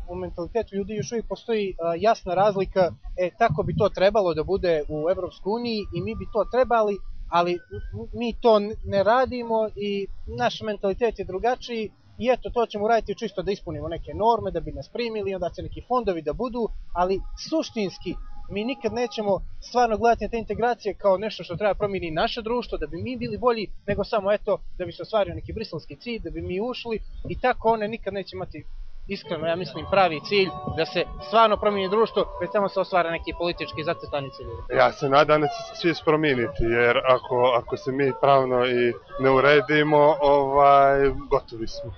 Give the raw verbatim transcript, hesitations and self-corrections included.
u mentalitetu ljudi još uvijek postoji jasna razlika, e, tako bi to trebalo da bude u Evropskoj uniji i mi bi to trebali, ali mi to ne radimo i naš mentalitet je drugačiji i eto, to ćemo uraditi čisto da ispunimo neke norme, da bi nas primili, onda će neki fondovi da budu, ali suštinski mi nikad nećemo stvarno gledati na te integracije kao nešto što treba promijeniti naše društvo, da bi mi bili bolji, nego samo eto, da bi se ostvario neki briselski cilj, da bi mi ušli i tako one nikad neće imati iskreno, ja mislim, pravi cilj da se stvarno promijeni društvo, već samo se ostvara neki politički zacrtani ciljevi. Ja se nadam da će se svi promijeniti, jer ako, ako se mi pravno i ne uredimo, ovaj, gotovi smo.